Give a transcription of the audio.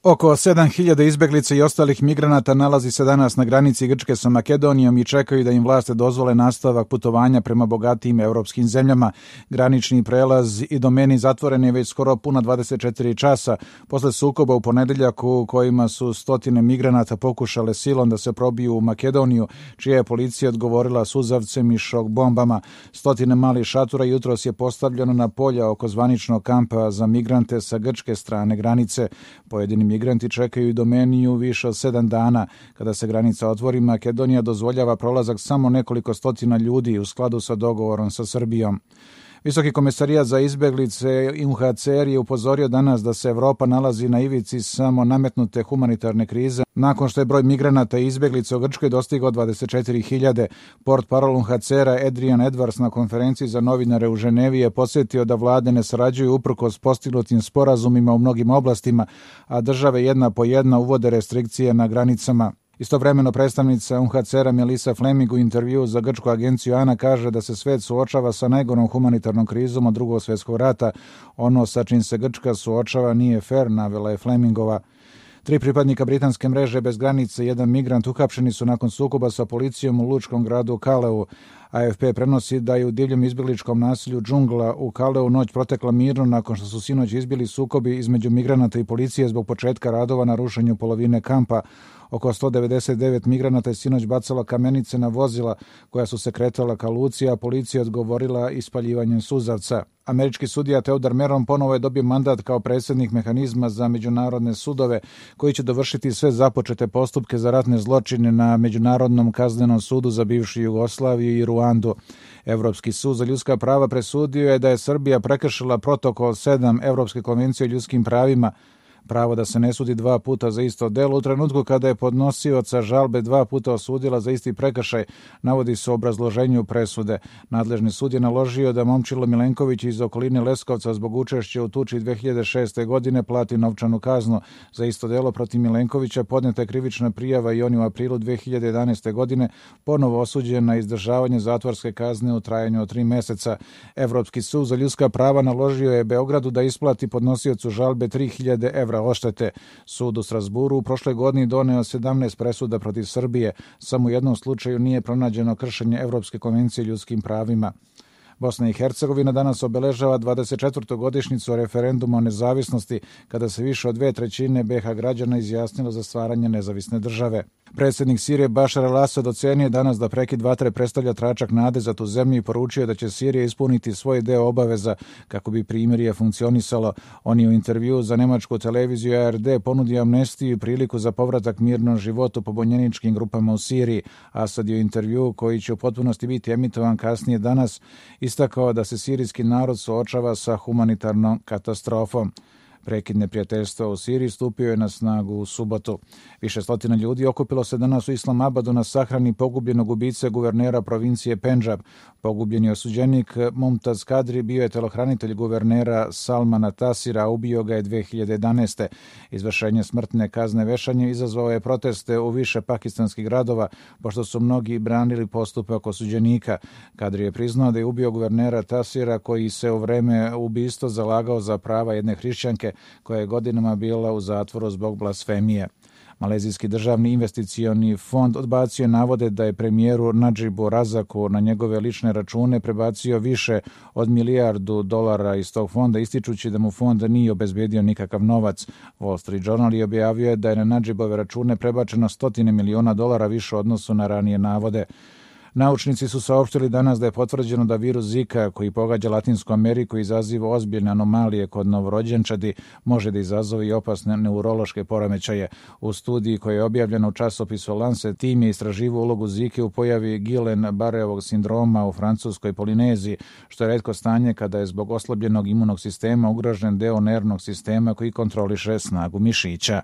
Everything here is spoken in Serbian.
Oko 7.000 izbeglica i ostalih migranata nalazi se danas na granici Grčke sa Makedonijom i čekaju da im vlasti dozvole nastavak putovanja prema bogatijim evropskim zemljama. Granični prelaz i domeni zatvoren je već skoro puna 24 časa posle sukoba u ponedeljak u kojima su stotine migranata pokušale silom da se probiju u Makedoniju, čija je policija odgovorila suzavcem i šok bombama. Stotine malih šatora jutros je postavljeno na polja oko zvaničnog kampa za migrante sa grčke strane granice. Pojedini migranti čekaju i domeniju više od 7 dana. Kada se granica otvori, Makedonija dozvoljava prolazak samo nekoliko stotina ljudi u skladu sa dogovorom sa Srbijom. Visoki komesarijat za izbeglice UNHCR je upozorio danas da se Evropa nalazi na ivici samo nametnute humanitarne krize nakon što je broj migranata i izbeglica u Grčkoj dostigao 24.000. Portparol UNHCR-a Adrian Edwards na konferenciji za novinare u Ženevi je podsjetio da vlade ne sarađuju uprkos postignutim sporazumima u mnogim oblastima, a države jedna po jedna uvode restrikcije na granicama. Istovremeno predstavnica UNHCR-a Melissa Fleming u intervjuu za grčku agenciju ANA kaže da se svet suočava sa najgorom humanitarnom krizom od Drugog svjetskog rata. Ono sa čim se Grčka suočava nije fer, navela je Flemingova. 3 pripadnika britanske mreže bez granice i 1 migrant uhapšeni su nakon sukoba sa policijom u lučkom gradu Kaleu. AFP prenosi da je u divljem izbjegličkom naselju Džungla u Kaleu noć protekla mirno nakon što su sinoć izbili sukobi između migranata i policije zbog početka radova na rušenju polovine kampa. Oko 199 migranata je sinoć bacala kamenice na vozila koja su se kretala ka luci, a policija odgovorila ispaljivanjem suzavca. Američki sudija Theodore Meron ponovo je dobio mandat kao predsjednik mehanizma za međunarodne sudove koji će dovršiti sve započete postupke za ratne zločine na Međunarodnom kaznenom sudu za bivšu Jugoslaviju i Ruandu. Evropski sud za ljudska prava presudio je da je Srbija prekršila protokol 7 Evropske konvencije o ljudskim pravima, pravo da se ne sudi 2 puta za isto delo u trenutku kada je podnosioca žalbe 2 puta osudila za isti prekršaj, navodi se u obrazloženju presude. Nadležni sud je naložio da Momčilo Milenković iz okoline Leskovca zbog učešća u tuči 2006. godine plati novčanu kaznu. Za isto delo protiv Milenkovića podneta je krivična prijava i on je u aprilu 2011. godine ponovo osuđen na izdržavanje zatvorske kazne u trajanju od 3 meseca. Evropski sud za ljudska prava naložio je Beogradu da isplati podnosiocu žalbe 3.000 evra odštete. Sud u Strasburu u prošle godini doneo 17 presuda protiv Srbije. Samo u jednom slučaju nije pronađeno kršenje Evropske konvencije o ljudskim pravima. Bosna i Hercegovina danas obeležava 24. godišnjicu referenduma o nezavisnosti, kada se više od 2/3 BiH građana izjasnilo za stvaranje nezavisne države. Predsjednik Sirije Bašar al-Asad ocenio danas da prekid vatre predstavlja tračak nade za tu zemlju i poručio da će Sirija ispuniti svoj deo obaveza kako bi primirje funkcionisalo. On je u intervjuu za nemačku televiziju ARD ponudio amnestiju i priliku za povratak mirnom životu pobunjeničkim grupama u Siriji. Asad je u intervjuu, koji će u potpunosti biti emitovan kasnije danas, istakao da se sirijski narod suočava sa humanitarnom katastrofom. Prekid neprijateljstva u Siriji stupio je na snagu u subotu. Više stotina ljudi okupilo se danas u Islamabadu na sahrani pogubljenog ubice guvernera provincije Pendžab. Pogubljeni osuđenik Mumtaz Kadri bio je telohranitelj guvernera Salmana Tasira, a ubio ga je 2011. Izvršenje smrtne kazne vešanjem izazvao je proteste u više pakistanskih gradova, pošto su mnogi branili postupak osuđenika. Kadri je priznao da je ubio guvernera Tasira, koji se u vreme ubistva zalagao za prava jedne hrišćanke koja je godinama bila u zatvoru zbog blasfemije. Malezijski državni investicioni fond odbacio navode da je premijeru Nadžibu Razaku na njegove lične račune prebacio više od $1 milijardu iz tog fonda, ističući da mu fond nije obezbedio nikakav novac. Wall Street Journal je objavio da je na Nadžibove račune prebačeno $100 miliona više u odnosu na ranije navode. Naučnici su saopštili danas da je potvrđeno da virus Zika, koji pogađa Latinsku Ameriku i izaziva ozbiljne anomalije kod novorođenčadi, može da izazove i opasne neurološke poremećaje. U studiji koja je objavljena u časopisu Lancet, tim je istraživao ulogu Zike u pojavi Guillain-Barréovog sindroma u francuskoj Polineziji, što je retko stanje kada je zbog oslabljenog imunog sistema ugrožen deo nervnog sistema koji kontroliše snagu mišića.